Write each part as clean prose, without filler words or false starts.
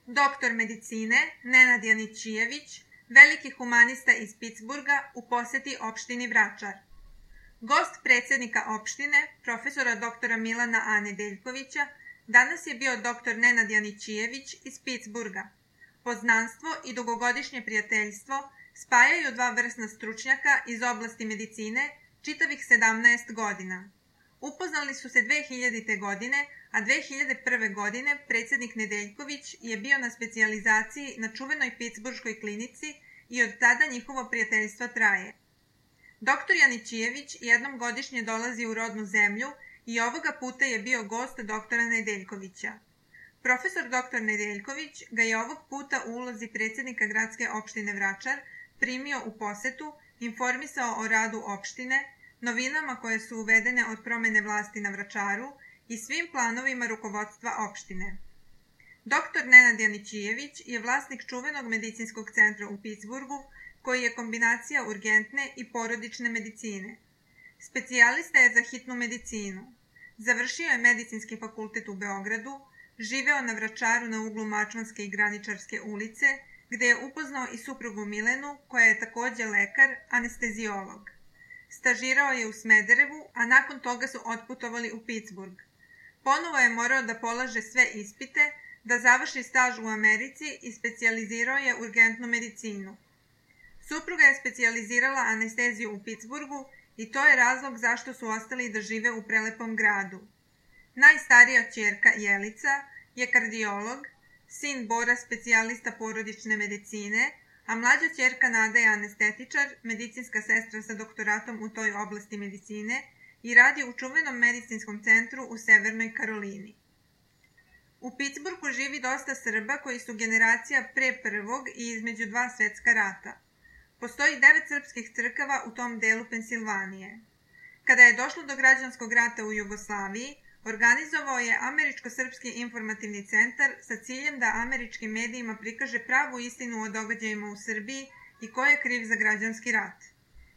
Doktor medicine Nenad Janićijević, veliki humanista iz Pitsburga, u poseti opštini Vračar. Gost predsjednika opštine, profesora doktora Milana A. Nedeljkovića, danas je bio doktor Nenad Janićijević iz Pitsburga. Poznanstvo i dugogodišnje prijateljstvo spajaju dva vrsna stručnjaka iz oblasti medicine čitavih 17 godina. Upoznali su se 2000. godine, a 2001. godine predsjednik Nedeljković je bio na specijalizaciji na čuvenoj Pitsburškoj klinici i od tada njihovo prijateljstvo traje. Doktor Janićijević jednom godišnje dolazi u rodnu zemlju i ovoga puta je bio gost doktora Nedeljkovića. Profesor doktor Nedeljković ga je ovog puta u ulozi predsjednika gradske opštine Vračar primio u posetu, informisao o radu opštine, novinama koje su uvedene od promjene vlasti na Vračaru i svim planovima rukovodstva opštine. Doktor Nenad Janićijević je vlasnik čuvenog medicinskog centra u Pitsburgu, koji je kombinacija urgentne i porodične medicine. Specijalista je za hitnu medicinu. Završio je medicinski fakultet u Beogradu, živeo na Vračaru na uglu Mačvanske i Graničarske ulice, gde je upoznao i suprugu Milenu, koja je također lekar, anesteziolog. Stažirao je u Smederevu, a nakon toga su otputovali u Pitsburg. Ponovo je morao da polaže sve ispite, da završi staž u Americi i specijalizirao je urgentnu medicinu. Supruga je specijalizirala anesteziju u Pitsburgu i to je razlog zašto su ostali da žive u prelepom gradu. Najstarija ćerka Jelica je kardiolog, sin Bora specijalista porodične medicine, a mlađa ćerka Nada je anestetičar, medicinska sestra sa doktoratom u toj oblasti medicine i radi u čuvenom medicinskom centru u Severnoj Karolini. U Pitsburgu živi dosta Srba koji su generacija pre prvog i između dva svetska rata. Postoji 9 srpskih crkava u tom delu Pensilvanije. Kada je došlo do građanskog rata u Jugoslaviji, organizovao je Američko-srpski informativni centar sa ciljem da američkim medijima prikaže pravu istinu o događajima u Srbiji i ko je kriv za građanski rat.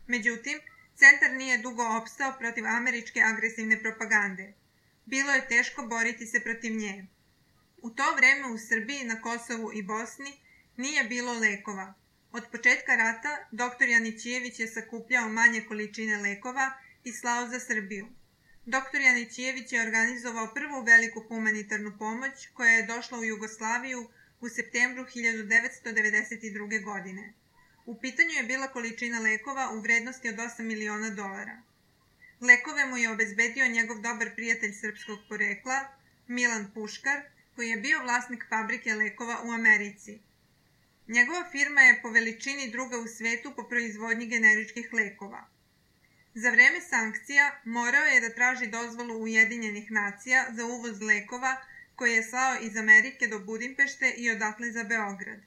Međutim, centar nije dugo opstao protiv američke agresivne propagande. Bilo je teško boriti se protiv nje. U to vreme u Srbiji, na Kosovu i Bosni nije bilo lekova. Od početka rata doktor Janićijević je sakupljao manje količine lekova i slao za Srbiju. Doktor Janićijević je organizovao prvu veliku humanitarnu pomoć koja je došla u Jugoslaviju u septembru 1992. godine. U pitanju je bila količina lekova u vrednosti od $8 miliona. Lekove mu je obezbedio njegov dobar prijatelj srpskog porekla, Milan Puškar, koji je bio vlasnik fabrike lekova u Americi. Njegova firma je po veličini druga u svetu po proizvodnji generičkih lekova. Za vreme sankcija morao je da traži dozvolu Ujedinjenih nacija za uvoz lekova koje je slao iz Amerike do Budimpešte i odatle za Beograd.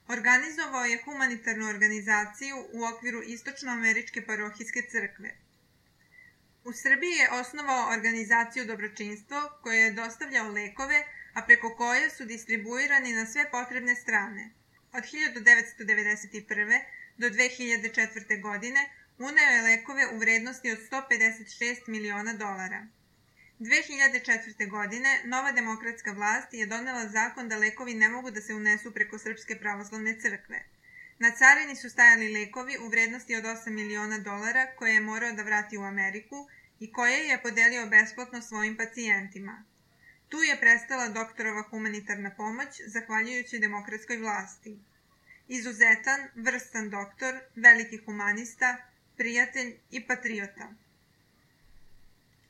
Organizovao je humanitarnu organizaciju u okviru Istočnoameričke parohijske crkve. U Srbiji je osnovao organizaciju Dobročinstvo koja je dostavljao lekove, a preko koje su distribuirani na sve potrebne strane. Od 1991. do 2004. godine uneo je lekove u vrednosti od $156 miliona. 2004. godine nova demokratska vlast je donela zakon da lekovi ne mogu da se unesu preko Srpske pravoslavne crkve. Na carini su stajali lekovi u vrednosti od $8 miliona koje je morao da vrati u Ameriku i koje je podelio besplatno svojim pacijentima. Tu je prestala doktorova humanitarna pomoć zahvaljujući demokratskoj vlasti. Izuzetan, vrstan doktor, veliki humanista, prijatelj i patriota.